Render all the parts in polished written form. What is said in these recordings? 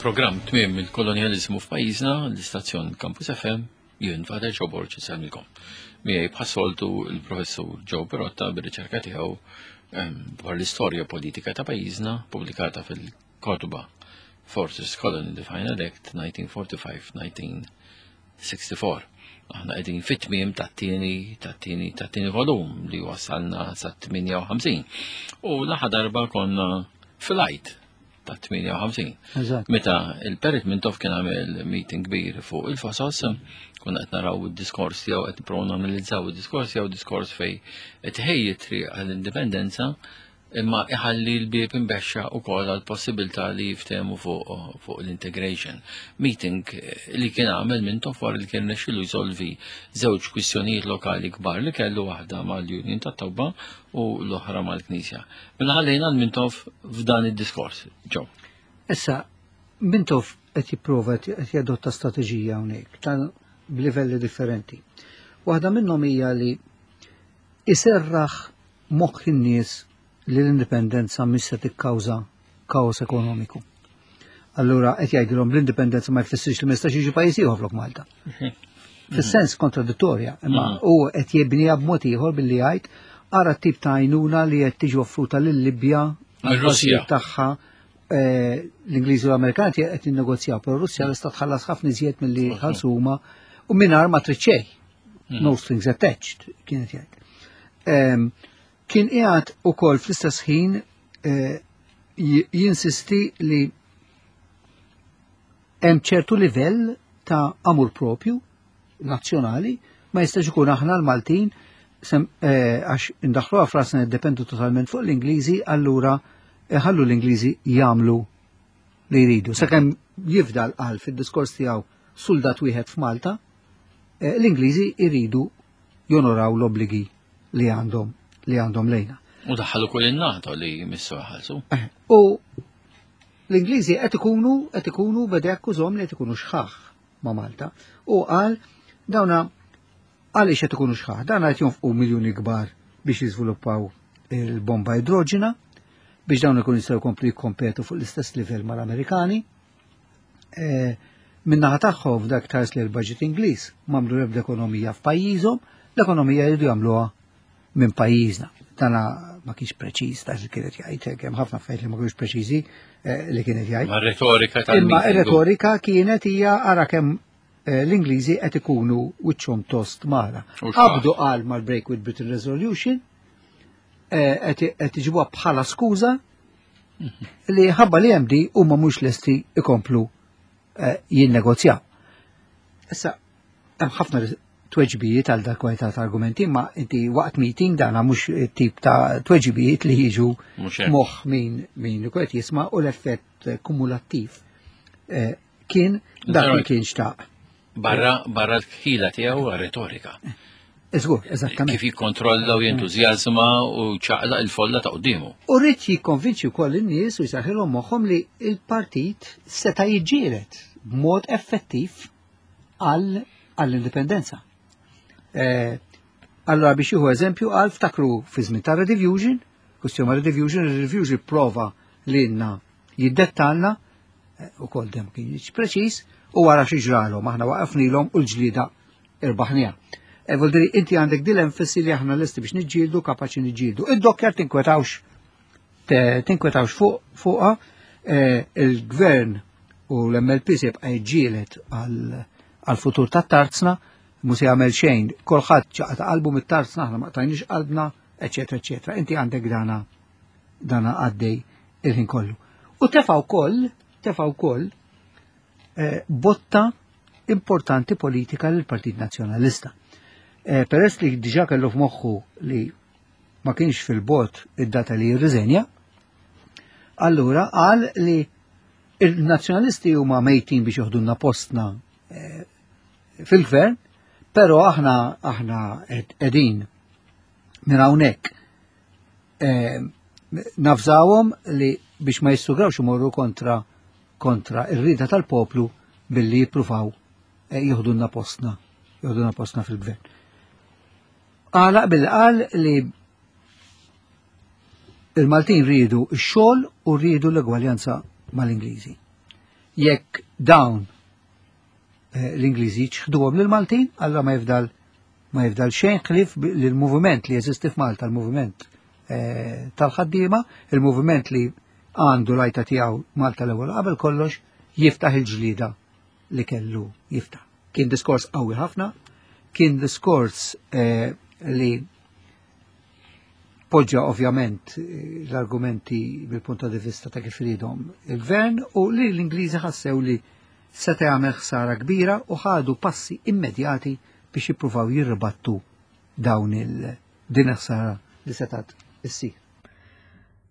Il-programm Tmiem il-Kolonjaliżmu f'pajjiżna, l-istazzjon Campus FM, jien Father Joe Borg insellmilkom. Miegħi bħas-soltu l-Professur Joe Perotta bir-riċerka tiegħu ehm, dwar l-istorja politika ta' pajjiżna pubblikata fil-kotba Forces Colony the Final Act 1945-1964. Aħna qegħdin fit-tmiem tat-tieni tat-tieni tat-tieni volum li wasalna sa 58. U l-aħħar darba konna fil-għid ta' 58. Meta il-Perit Mintoff kien għamel meeting kbir fuq il-Fosos, konna qed naraw id-diskors tiegħu qed nipprovaw nanalizzaw id-diskors tiegħu diskors fej qed ħejji triq għall-indipendenza imma iħalli l-bieb imbexxa wkoll għal possibilità li jiftehmu fuq fuq l-integration. Meeting li kien għamel Mintoff wara li kien rnexxielu jsolvi żewġ kwistjonijiet lokali kbar li kellu waħda mal-Union tat-Tobba u l-oħra mal-Knisja. Mela ħallejna l-Mintoff f'dan id-diskors. Ġo. Issa, Mintoff qed jipprova qed jadotta strateġija hawnhekk ta' b'livelli differenti. Waħda minnhom hija li iserraħ moħħ in-nies li l-indipendenza mhix se tikkawża kaos ekonomiku. Allura qed jgħidilhom l-indipendenza ma jfissirx li ma jistax jiġi pajjiż ieħor flok Malta. Mhm. Fis-sens kontradittorja, imma mhm. hu qed jibniha b'mod ieħor billi jgħid ara tip ta' għajnuna li qed tiġi offruta lil-Libja għall-Russja tagħha eh, l-Ingliżi u l-Amerikani qed jinnegozjaw, però Russja lesta tħallas ħafna iżjed milli ħallsu huma u mingħajr ma trid xejn. Mhm. No strings attached, kienet jgħid. Ehm, kien qiegħed ukoll fl-istess ħin eh, jinsisti li hemm ċertu livell ta' amur propju nazzjonali ma jistax ikun aħna l-Maltin eh, għax indaħluha frasna niddependu totalment fuq l-Ingliżi, allura ħallu l-Ingliżi jagħmlu li jridu. Sakemm jifdal qal fid-diskors tiegħu suldat wieħed f'Malta, eh, l-Ingliżi jridu jonoraw l-obbligi li għandhom li għandhom lejna. U daħħalu kull in-NATO li jmissu ħalsu. Eh, u l-Ingliżi qed ikunu qed ikunu beda jakkużhom li qed ikunu xħaħ ma' Malta. U qal dawna għaliex qed ikunu xħaħ, dawna qed jonfqu miljuni kbar biex jiżviluppaw il-bomba idroġena biex dawn ikunu jistgħu jkomplu jikkompetu fuq l-istess livell mal-Amerikani. Eh, min-naħa tagħhom f'dak tars li l-budget Ingliż m'għamlu l-ebda ekonomija f'pajjiżhom, l-ekonomija jridu jagħmluha minn pajjiżna. Dana ma kienx preċiż ta' li kienet jgħid, hemm ħafna affarijiet li ma kienx preċiżi eh, li kienet jgħid. Ma retorika tal Imma retorika kienet hija ara kemm eh, l-Ingliżi qed ikunu wiċċhom tost magħna. Qabdu qal mal-Break with Britain Resolution, qed iġibuha bħala skuża li ħabba li MD huma mhux lesti ikomplu eh, jinnegozjaw. Issa, hemm ħafna tweġbijiet għal dak kwalità ta' argumenti, ma inti waqt meeting dana mhux tip ta' tweġibijiet li jiġu moħħ min min ikun qed jisma' u l-effett kumulattiv eh, kien dak li kien xtaq. Barra barra l-ħila tiegħu retorika. Iżgur, eżattament. Kif jikkontrolla u jentużjażma u ċaqla il-folla ta' quddiemu. U rrid jikkonvinċi wkoll in-nies u jsaħħilhom moħħhom li l-partit seta' jiġġieled b'mod effettiv għall-indipendenza. Eh, allora biex jieħu eżempju għal ftakru fi żmien ta' Redivision, kwistjoni Redivision, Redivision prova li jiddettalna eh, u kol dem kien preċiż u wara xi ġralhom aħna waqafnilhom u l-ġlieda irbaħniha. E Vuol inti għandek dil enfasi li aħna lesti biex niġġieldu kapaċi niġġieldu. Id-dokkjar tinkwetawx tinkwetawx fuq fuqha eh, il-gvern u l-MLP se jibqa' jiġġieled għal-futur tat-tarzna, mhu se jagħmel xejn, kulħadd ċaqata qalbu mit-tarzna, aħna ma qtajniex qalbna, eċetera, eċetera. Inti għandek dana dana għaddej il-ħin kollu. U tefa' wkoll, tefa' wkoll eh, botta importanti politika lill partit Nazzjonalista. Eh, peress li diġà kellu f'moħħu li ma kienx fil-bot id-data li jirriżenja, allura qal li il-nazzjonalisti huma mejtin biex joħdulna postna eh, fil-gvern, però aħna aħna qegħdin minn hawnhekk eh, nafżawhom li biex ma jissugrawx imorru kontra kontra ir-rida tal-poplu billi jippruvaw eh, jieħdulna postna, jieħdulna postna fil-gvern. Għalaq billi qal li il-Maltin rridu x-xogħol u rridu l-egwaljanza mal-Ingliżi. Jekk dawn eh, l-Ingliżi ċħduhom lill-Maltin, allura ma jifdal ma jifdal xejn ħlief li l-moviment li jeżisti f'Malta, l-moviment eh, tal-ħaddiema, il-moviment li għandu lajta tiegħu Malta l-ewwel qabel kollox jiftaħ il-ġlida li kellu jiftaħ. Kien diskors qawwi ħafna, kien diskors eh, li poġġa ovvjament eh, l-argumenti mill-punt di vista ta' kif iridhom il-gvern u li l-Ingliżi ħassew li seta' jagħmel ħsara kbira u ħadu passi immedjati biex jippruvaw jirribattu dawn il din ħsara li setat issir.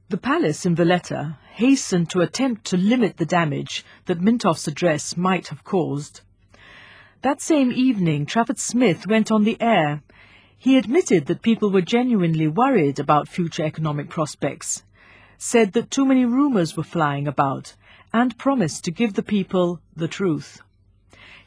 The palace in Valletta hastened to attempt to limit the damage that Mintoff's address might have caused. That same evening, Trafford Smith went on the air. He admitted that people were genuinely worried about future economic prospects, said that too many rumours were flying about, and promised to give the people the truth.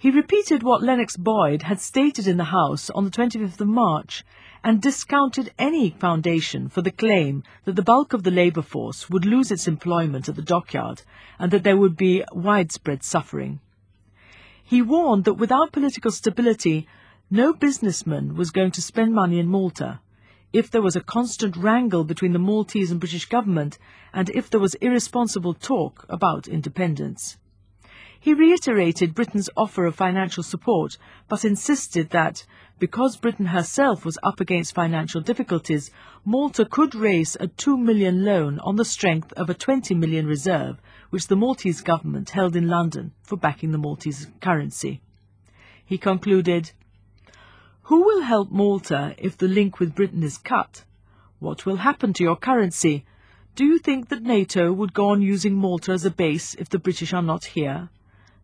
He repeated what Lennox Boyd had stated in the House on the 25th of March and discounted any foundation for the claim that the bulk of the labour force would lose its employment at the dockyard and that there would be widespread suffering. He warned that without political stability, no businessman was going to spend money in Malta if there was a constant wrangle between the Maltese and British government and if there was irresponsible talk about independence. He reiterated Britain's offer of financial support, but insisted that, because Britain herself was up against financial difficulties, Malta could raise a 2 million loan on the strength of a 20 million reserve, which the Maltese government held in London for backing the Maltese currency. He concluded, Who will help Malta if the link with Britain is cut? What will happen to your currency? Do you think that NATO would go on using Malta as a base if the British are not here?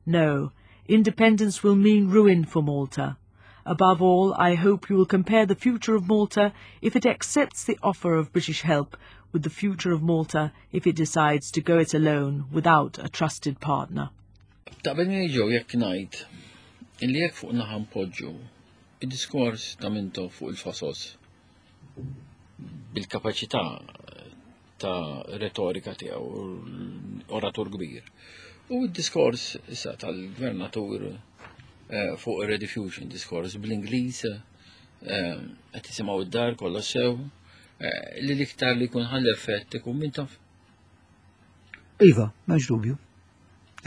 No, independence will mean ruin for Malta. Above all, I hope you will compare the future of Malta if it accepts the offer of British help with the future of Malta if it decides to go it alone without a trusted partner. Taqbel ġew jekk ngħid illi jekk fuq naħa npoġġu id-diskors ta' Mintoff fuq il-fosos bil-kapaċità ta' retorika tiegħu oratur kbir. U d-diskors issa tal-gvernatur eh, fuq ir-rediffusion, diskors bl-Ingliż, eh, qed tisimgħu id-dar kollox sew, eh, li l-iktar li jkun ħall effett ikun Mintoff. Iva, m'hemmx dubju.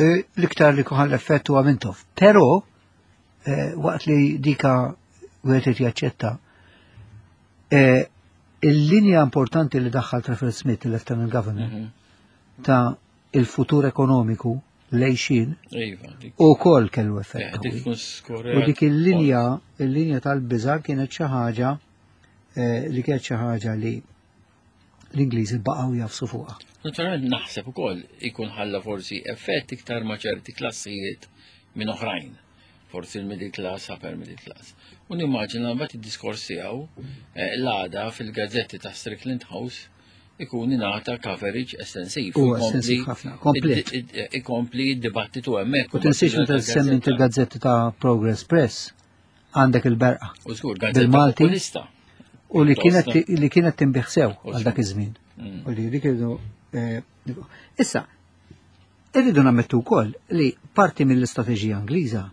L-iktar li jkun ħall effett huwa Mintoff. Però waqt li dika wieħed jaċċetta il-linja importanti li daħħal Trafford Smith, il-Lieutenant Governor, ta' il-futur ekonomiku lejxin Iva, dik u kol kellu effett. dik qawwi. tkun skorja. U dik il-linja, il-linja tal-biża kienet xi ħaġa li kienet xi ħaġa li l-Ingliżi baqgħu jafsu fuqha. Naturalment naħseb ukoll ikun ħalla forsi effett iktar ma' ċerti klassijiet minn oħrajn. Forsi l-middle class, upper middle class. U nimmaġina mbagħad id-diskors tiegħu l-għada fil-gazzetti ta' Strickland House ikun ingħata coverage estensiv. U estensiv ħafna, komplet. Ikompli d-dibattitu hemmhekk. U tinsiex meta semmi inti il-gazzetti ta' Progress Press għandek il-Berqa. U żgur, gazzetta Bil-Malti. populista. U li kienet li kienet tinbiegħ sew għal dak iż-żmien. Mm. U li dik irridu Issa, irridu nammettu wkoll li parti mill-istrateġija Ingliża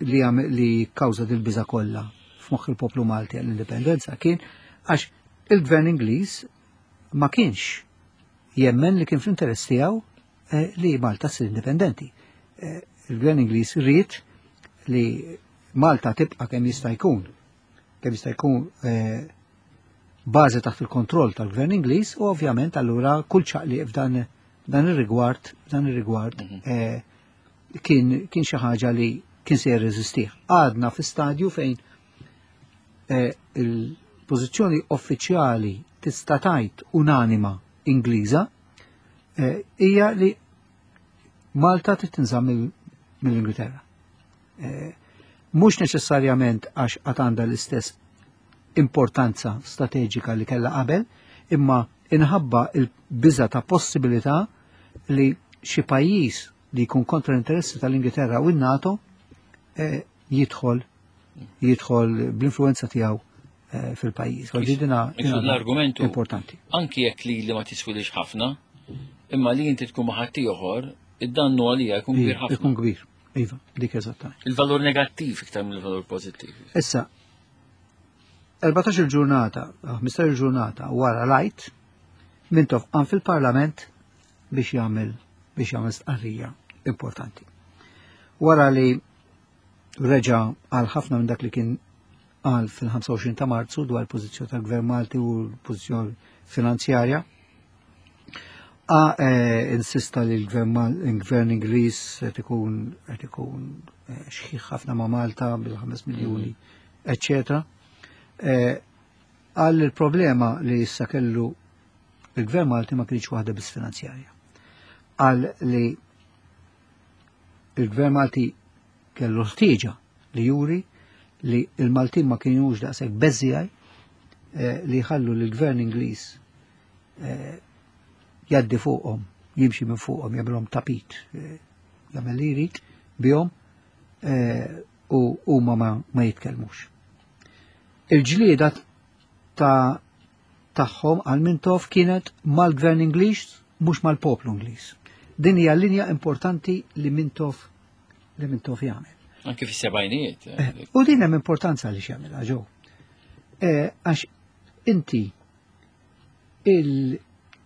li li kawża dil-biża kollha f'moħħ il-poplu Malti għall-indipendenza kien għax il-gvern Ingliż ma kienx jemmen li kien fl-interess tiegħu li Malta ssir indipendenti. Il-gvern Ingliż ried li Malta tibqa' kemm jista' jkun kemm jista' jkun bażi taħt il-kontroll tal-gvern Ingliż u ovvjament allura kull ċaqliq f'dan dan ir-rigward dan ir-rigward kien kien xi ħaġa li kien se jirreżistih. Għadna fi stadju fejn il-pożizzjoni uffiċjali tista' tgħid unanima Ingliża hija li Malta trid tinżamm mill-Ingilterra. Mhux neċessarjament għax qatt għandha l-istess importanza strateġika li kellha qabel, imma inħabba il-biża ta' possibilità li xi pajjiż li jkun kontra l-interessi tal-Ingilterra u n-NATO jidħol jidħol bl-influenza tiegħu fil-pajjiż. Għal dina L-argumentu importanti. Anki jekk li li ma tiswilix ħafna, imma li inti tkun ma' ħaddieħor. Id-dannu għalija jkun kbir ħafna. Ikun kbir, iva, dik eżattament. Il-valur negattiv iktar mill-valur pożittiv. Issa, 14 il-ġurnata, 15 il-ġurnata wara l-Għid, Mintoff qam fil-Parlament biex jagħmel biex jagħmel stqarrija importanti. Wara li reġa' għal ħafna minn dak li kien qal fil-25 ta' Marzu dwar il-pożizzjoni tal-Gvern Malti u l-pożizzjoni finanzjarja, A eh, insista li l-gvern Ingliż qed ikun qed ikun eh, xħiħ ħafna ma' Malta bil-5 miljuni, eccetera. Eh, qal li l-problema li issa kellu il-gvern Malti ma kienx waħda biss finanzjarja. Qal li il-gvern Malti kellu ħtieġa li juri li il-Maltin ma kienux daqshekk beżżiegħi li jħallu l-gvern Ingliż jgħaddi fuqhom, jimxi minn fuqhom, jagħmilhom tapit, jagħmel li jrid bihom u huma ma jitkellmux. Il-ġlieda ta' tagħhom għal Mintoff kienet mal-gvern Ingliż mhux mal-poplu Ingliż. Din hija linja importanti li Mintoff li Mintoff jagħmel. Anke fis-sebgħinijiet. U din hemm importanza li x'jagħmilha ġew. Għax inti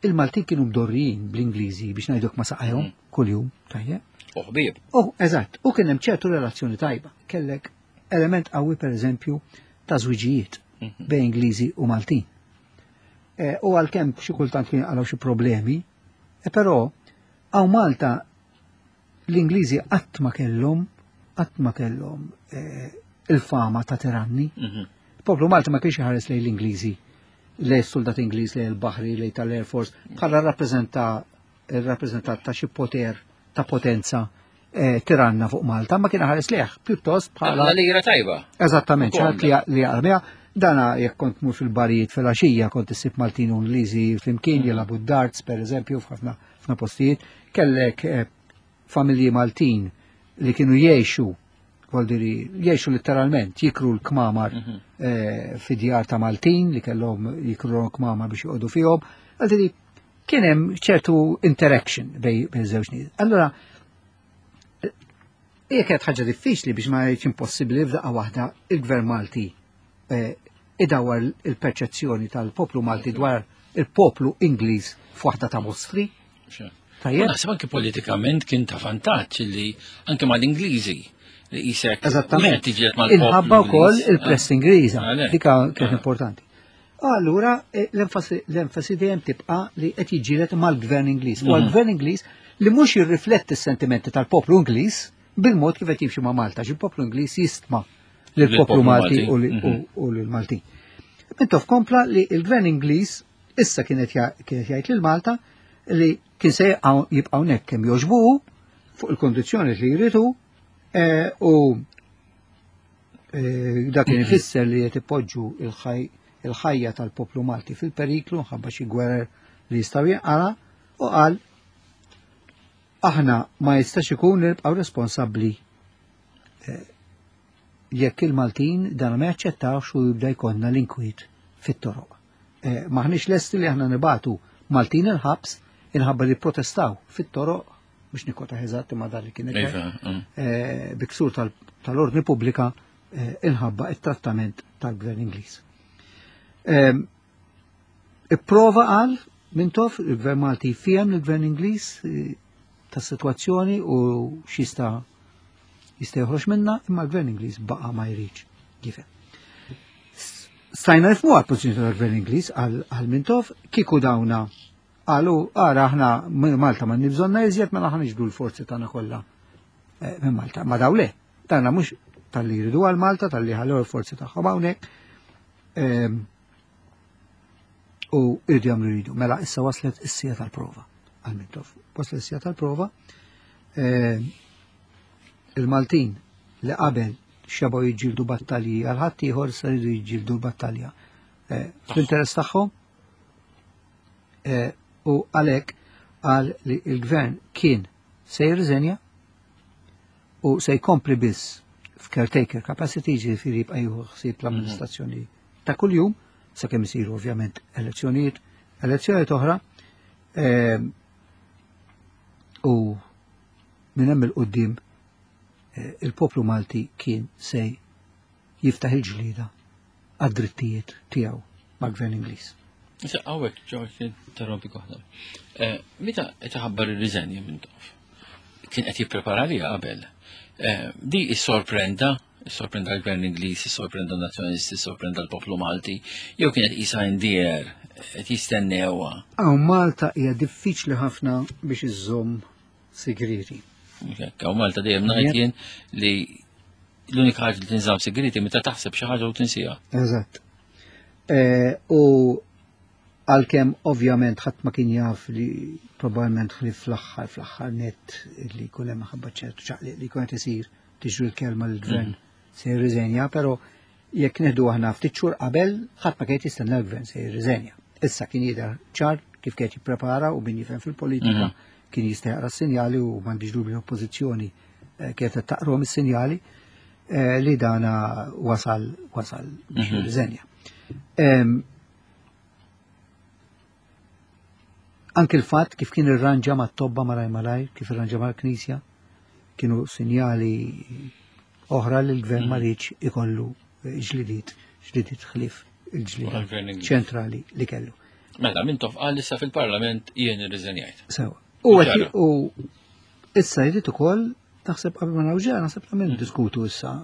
il-Maltin kienu mdorrijin bl-Ingliżi biex ngħiduk ma saqajhom kuljum, tajjeb. U ħbieb. U eżatt, u kien hemm ċertu relazzjoni tajba. Kellek element qawwi pereżempju ta' żwiġijiet bejn Ingliżi u Maltin. U għalkemm xi kultant kien għalaw xi problemi, però hawn Malta l-Ingliżi qatt ma kellhom qatt ma kellhom il-fama ta' tiranni. Il-poplu Malti ma kienx iħares lejn l-Ingliżi, lejn soldat Ingliż, lejn il-baħri, lejn tal-Air Force, bħala rappreżentant ta' xi poter ta' potenza tiranna fuq Malta, ma kien ħares lejh pjuttost bħala La lira tajba. Eżattament, Ukoll. ċart li jaqra Dana jekk kont mur fil-barijiet fil-għaxija kont issib Maltin u Ingliżi flimkien jilagħbu d-darts pereżempju f'ħafna ħafna postijiet, kellek familji Maltin li kienu jgħixu, vuol dire jgħixu letteralment, jikru l-kmamar fi djar ta' Maltin li kellhom jikru l-kmamar biex joqogħdu fihom. Vuol dire kien hemm ċertu interaction bej żewġ nies. Allura hija kienet ħaġa diffiċli biex ma jgħidx impossibbli f'daqqa waħda il-Gvern Malti idawar il-perċezzjoni tal-poplu Malti dwar il-poplu Ingliż f'waħda ta' mostri. Tajjeb. U naħseb anke politikament kien ta' vantaġġ li anke mal-Ingliżi li qisek Eżattament. mhux qed tiġiet mal-poplu Inħabba wkoll Ingliż. il-press Ingliża, Għalhekk. dika kienet importanti. Allura l-enfasi dejjem tibqa' li qed jiġġieled mal-Gvern Ingliż. U għall-Gvern Ingliż li mhux jirrifletti s-sentimenti tal-poplu Ingliż bil-mod kif qed jimxi ma' Malta, għax il-poplu Ingliż jistma lill-poplu Lill-poplu Malti Malti. u lill-Maltin. Mintoff kompla li l-Gvern Ingliż issa kienet jgħid lil Malta li kien se jibqa' hawnhekk kemm jogħġbuhu fuq il-kondizzjoni li jridu u dak kien ifisser li qed ipoġġu il-ħajja tal-poplu Malti fil-periklu nħabba xi gwerer li jistgħu jinqala, u qal aħna ma jistax ikun li nibqgħu responsabbli jekk il-Maltin dan ma jaċċettawx u jibda jkollna l-inkwiet fit-toroq. Maħniex lesti li aħna nibatu Maltin il-ħabs inħabba li protestaw fit-toroq biex nikkwota eżatt ma dan li kien Iva, Biksur tal-ordni pubblika inħabba it-trattament tal-Gvern Ingliż. Ipprova qal Mintoff il-Gvern Malti jfiem l-Gvern Ingliż tas-sitwazzjoni u x'jista' jista' joħroġ minna, imma l-Gvern Ingliż baqa' ma jridx jifhem. Stajna nifhmu għall-pożizzjoni tal-Gvern Ingliż għal Mintoff, kieku dawna qalu ara aħna Malta ma nibżonna iżjed mela aħna niġbdu l-forzi tagħna kollha minn Malta. Ma daw le, tagħna mhux tal-li jridu għal Malta, tal-li ħallew il-forzi tagħhom hawnhekk. U jridu jagħmlu jridu. Mela issa waslet is-sija tal-prova għal Mintoff. Waslet is-sija tal-prova. Il-Maltin li qabel xebaw jiġġieldu battalji għal ħadd ieħor issa jridu jiġġieldu l-battalja fl-interess tagħhom. U għalhekk qal li l-gvern kien se jirriżenja u se jkompli biss f'caretaker capacity, ġifieri jibqa' jieħu ħsieb l-amministrazzjoni ta' kuljum, sakemm isiru ovvjament elezzjonijiet oħra. U minn hemm il-qudiem eh, il-poplu Malti kien se jiftaħ il-ġlieda għad-drittijiet tiegħu mal-Gvern Ingliż. Issa hawnhekk George interrompi waħda. Eh, meta qed iħabbar ir-riżenja minn tof? Kien qed jipprepara li qabel. Eh, di issorprenda, issorprenda l-Gvern Ingliż, issorprenda n-Nazzjonalisti, issorprenda l-poplu Malti, jew kienet qisha in the air, qed jistennewha. Hawn Malta hija diffiċli ħafna biex iżżomm sigrieti. Hawn Malta dejjem ngħid jien li l-unika ħaġa li tinżamm segreti meta taħseb xi ħaġa u tinsiha. Eżatt. Eh, u għalkemm ovvjament ħadd ma kien jaf li probabbilment li fl-aħħar fl-aħħar net li jkun hemm ħabba ċertu ċaqliq li jkun qed isir tiġri l-kelma l-gvern mm. se jirriżenja, però jekk neħdu aħna ftit xhur qabel ħadd ma kien jistenna l-gvern se jirriżenja. Issa kien jidher ċar kif kien jipprepara u min jifhem fil-politika mm. kien jista' jaqra s-sinjali u m'għandix dubju l-oppożizzjoni eh, kienet qed taqrom is-sinjali eh, li dana wasal wasal biex mhm. jirriżenja. Anki l-fatt kif kien irranġa ma' tobba malaj malaj, kif irranġa mal-Knisja, kienu sinjali oħra li l-gvern ma mhm. rridx ikollu ġlidiet, ġlidiet ħlief il-ġlieda ċentrali li kellu. Mela, minn tof qal issa fil-Parlament jien irriżenjajt. Sewa. U u issa jrid ukoll naħseb qabel ma nawġa, naħseb ta' minn diskutu issa.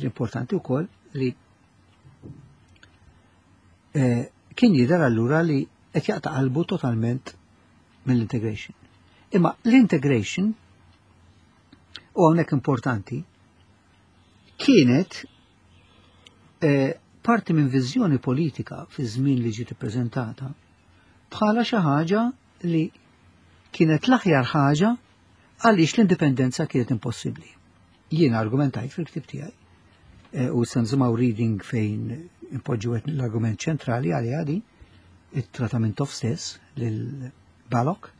Importanti wkoll li eh, kien jidher allura li qed jaqta' qalbu totalment mill-integration. Imma l-integration u hawnhekk importanti kienet eh, parti minn viżjoni politika fi żmien li ġiet ippreżentata bħala xi ħaġa li kienet l-aħjar ħaġa għaliex l-indipendenza kienet impossibbli. Jiena argumentajt fil-ktib tiegħi eh, u se nżimaw reading fejn impoġġu l-argument ċentrali għalija di, it-trata ta' Mintoff stess lil Balok,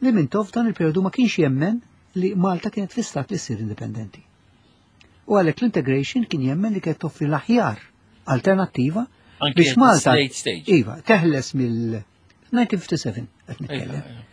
li Mintoff dan il-periodu ma kienx jemmen li Malta kienet fi stat li ssir indipendenti. U għalhekk l-integration kien jemmen li kienet toffri l-aħjar alternattiva biex Malta iva, teħles mill-1957 qed nitkellem.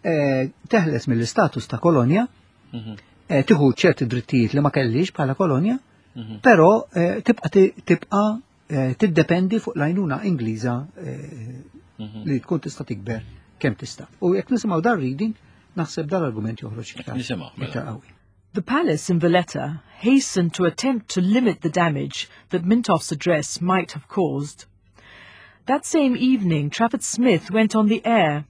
Eh, teħles mill-istatus ta' kolonja, mhm. eh, tieħu ċerti drittijiet li ma kellix bħala kolonja, mhm. però eh, tibqa' tibqa' tiddependi fuq l-għajnuna Ingliża mhm. li tkun tista' tikber kemm tista'. U jekk nisimgħu dar reading, naħseb dal-argument joħroġ iktar mela. qawwi. The palace in Valletta hastened to attempt to limit the damage that Mintoff's address might have caused. That same evening, Trafford Smith went on the air.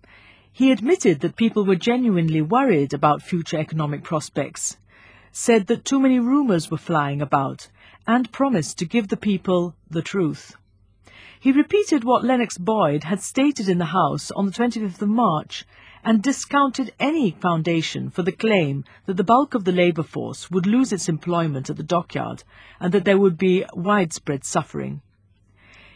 He admitted that people were genuinely worried about future economic prospects, said that too many rumours were flying about, and promised to give the people the truth. He repeated what Lennox Boyd had stated in the House on the 25th of March and discounted any foundation for the claim that the bulk of the labour force would lose its employment at the dockyard and that there would be widespread suffering.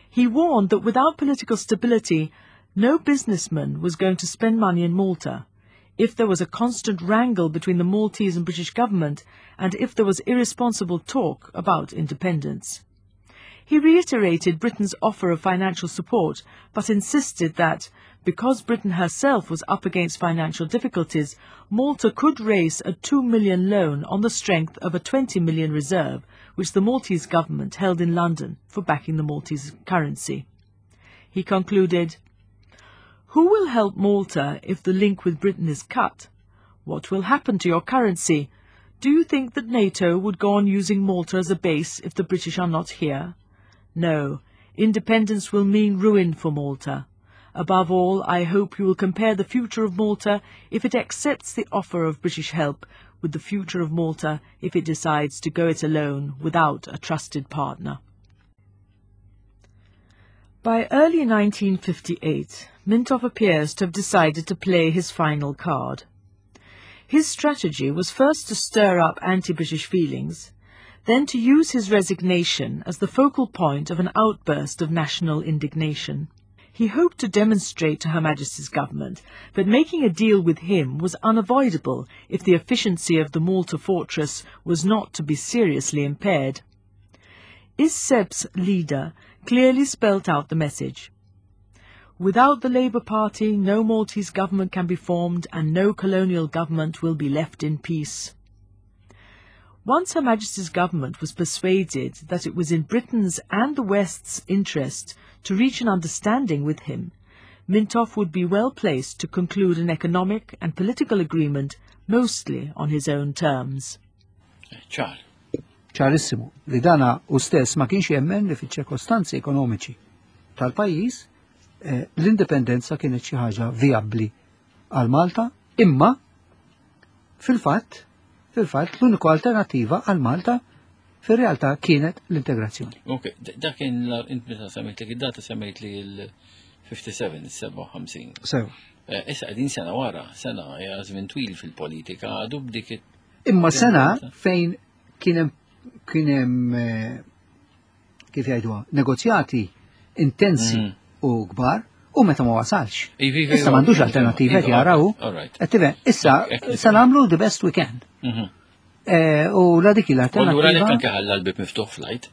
He warned that without political stability, no businessman was going to spend money in Malta if there was a constant wrangle between the Maltese and British government and if there was irresponsible talk about independence. He reiterated Britain's offer of financial support, but insisted that, because Britain herself was up against financial difficulties, Malta could raise a 2 million loan on the strength of a 20 million reserve, which the Maltese government held in London for backing the Maltese currency. He concluded, Who will help Malta if the link with Britain is cut? What will happen to your currency? Do you think that NATO would go on using Malta as a base if the British are not here? No, independence will mean ruin for Malta. Above all, I hope you will compare the future of Malta if it accepts the offer of British help with the future of Malta if it decides to go it alone without a trusted partner. By early 1958, Mintoff appears to have decided to play his final card. His strategy was first to stir up anti-British feelings, then to use his resignation as the focal point of an outburst of national indignation. He hoped to demonstrate to Her Majesty's government that making a deal with him was unavoidable if the efficiency of the Malta fortress was not to be seriously impaired. Is-SEP's leader clearly spelt out the message. Without the Labour Party, no Maltese government can be formed and no colonial government will be left in peace. Once Her Majesty's government was persuaded that it was in Britain's and the West's interest to reach an understanding with him, Mintoff would be well placed to conclude an economic and political agreement mostly on his own terms. Ċar. Ċarissimu li dana u stess ma kienx jemmen li fiċ-ċirkostanzi ekonomiċi tal-pajjiż eh, l-indipendenza kienet xi ħaġa vijabbli għal Malta, imma fil-fatt fil-fatt l-uniku alternativa għal Malta fir-realtà kienet l-integrazzjoni. Ok, dak kien int meta semmejt li id-data semmejt li l-57, 57. Sew. Eh, issa qegħdin sena wara, sena hija żmien twil fil-politika, għadu b'dik Imma sena fejn kien hemm kien hemm eh, kif jgħiduha, negozjati intensi mm. u kbar u meta ma wasalx. Issa m'għandux alternativa qed jaraw. Issa se nagħmlu the best we can. Mhm. Eh, u la dik l-alternativa. Allura lek anke ħalla l-bib miftuħ flight.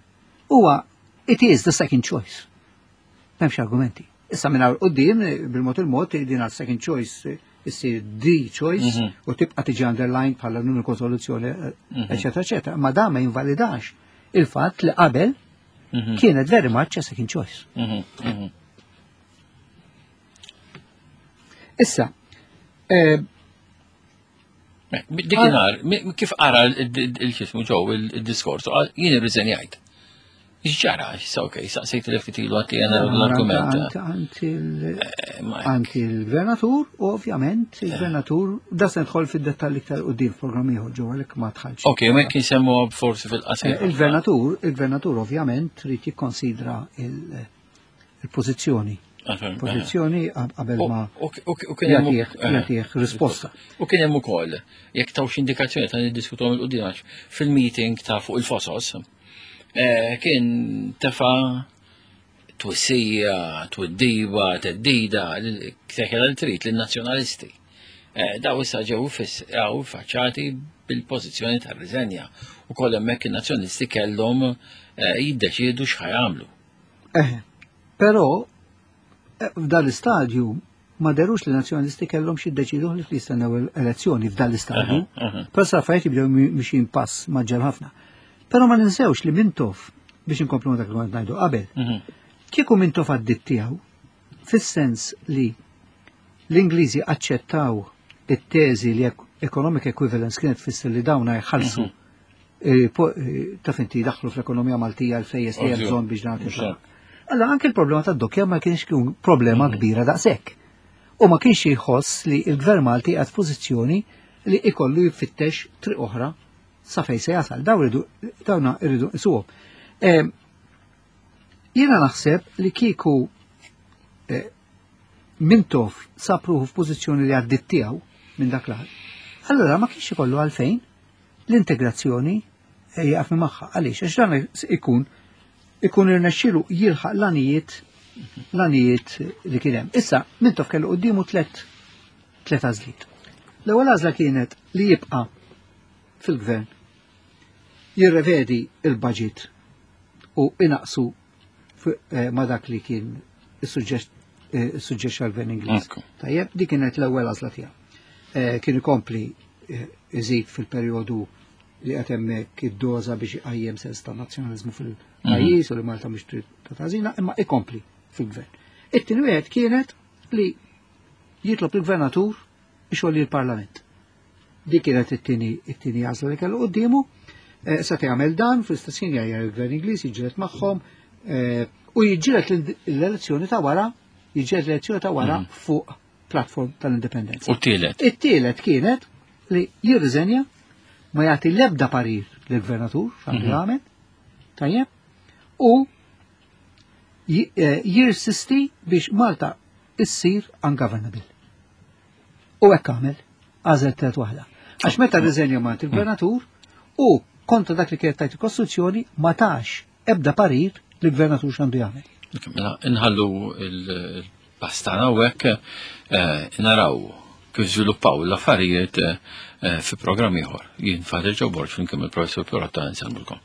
Huwa it is the second choice. M'hemmx argumenti. Issa minn hawn quddiem bil-mod il-mod din għal second choice issir the choice mhm. u tibqa' tiġi underlined bħala l-uniku soluzzjoni, mhm. eċetera, eċetera. Ma dan ma jinvalidax il-fatt li qabel mhm. kienet very much a second choice. Issa, eh, Dikinhar, kif qara il-xismu ġew il-diskors, jien irriżenjajt. X'ġara, issa ok, saqsejt li ftit ilu għati għana l-argument. Għand il-gvernatur, u ovvjament il-gvernatur, da se nidħol fid-dettalji iktar qudiem f'programm ieħor ġew għalhekk ma dħalx. Ok, ma kien semmu forsi fil-qasir. Eh, il-gvernatur, il-gvernatur ovvjament trid jikkonsidra il-pożizzjoni. Pożizzjoni qabel ma jagħtih risposta. U kien hemm ukoll, jekk tawx indikazzjoni ta' niddiskutuhom il-qudiem fil-meeting ta' fuq il-fosos, eh, kien tefa' twissija, twiddiba, teddida, ktekela li trid lin-nazzjonalisti. Eh, daw issa ġew għaw faċċati bil-pożizzjoni ta' riżenja u koll hemmhekk in-nazzjonalisti kellhom eh, jiddeċiedu x'ħajamlu. Eh, però f'dan l-istadju ma derux li nazzjonalisti kellhom xi jiddeċidu li jistennew elezzjoni f'dan l-istadju. Però sa affarijiet jibdew mixin pass maġġel ħafna. Però ma ninsewx li Mintoff biex inkomplu dak li kont ngħidu qabel. Mhm. Kieku Mintoff għaddit tiegħu fis-sens li l-Ingliżi aċċettaw it-teżi li economic equivalence kienet tfisser li dawna jħallsu mhm. eh, eh, taf inti daħlu fl-ekonomija Maltija l-flejjes li hemm bżonn biex nagħti. Allora anke l-problema tad-dokkja ma kienx problema mhm. kbira daqshekk. U ma kienx jħoss li l-Gvern Malti għad pożizzjoni li ikollu jfittex triq oħra sa fejn se jasal. Daw irridu dawna irridu nsuhom. Eh, jiena naħseb li kieku eh, Mintoff sab ruħu f'pożizzjoni li għaddit tiegħu minn dak l Allora ma kienx ikollu għalfejn l-integrazzjoni eh, jaqaf minn magħha. Għaliex? Għax dan ikun ikun irnexxielu jilħaq l-għanijiet l-għanijiet li kien hemm. Issa Mintoff kellu quddiemu tlet tlet għażliet. L-ewwel għażla kienet li jibqa' fil-gvern jirrevedi il-budget u inaqsu eh, ma dak li kien is-suġġett għal-gvern Ingliż. Tajjeb, dik kienet l-ewwel għażla tiegħu. Eh, kien ikompli eh, iżid fil-perjodu li qed hemmhekk id-doża biex iqajjem sens ta' nazzjonaliżmu fil-pajjiż u li Malta mhix trid ta' tażina, imma ikompli fil-gvern. It-tieni wieħed kienet li jitlob il-gvernatur ixolli l-Parlament. Dik kienet it-tieni it-tieni għażla li kellu quddiemu. Eh, se jagħmel dan fl-istess ħin jgħajjar il-Gvern Ingliż jiġġieled magħhom eh, u jiġġieled l-elezzjoni ta' wara, jiġġieled l-elezzjoni ta' wara mhm. fuq platform tal-indipendenza. U t-tielet? It-tielet kienet li jirriżenja ma jagħti l-ebda parir lill-gvernatur x'għandu mhm. jagħmel, tajjeb, u eh, jirsisti biex Malta issir ungovernable. U hekk għamel, għażel tret waħda. Għax meta rriżenja Mant il-gvernatur u kontra dak li kienet tajt il-Kostituzzjoni ma tax ebda parir li gvernatur x'għandu jagħmel. Mela nħallu il-pastana u hekk eh, naraw kif żviluppaw l-affarijiet eh, fi programm ieħor. Jien Father Joe Borg flimkien il-Professur Pirotta nsellmulkom.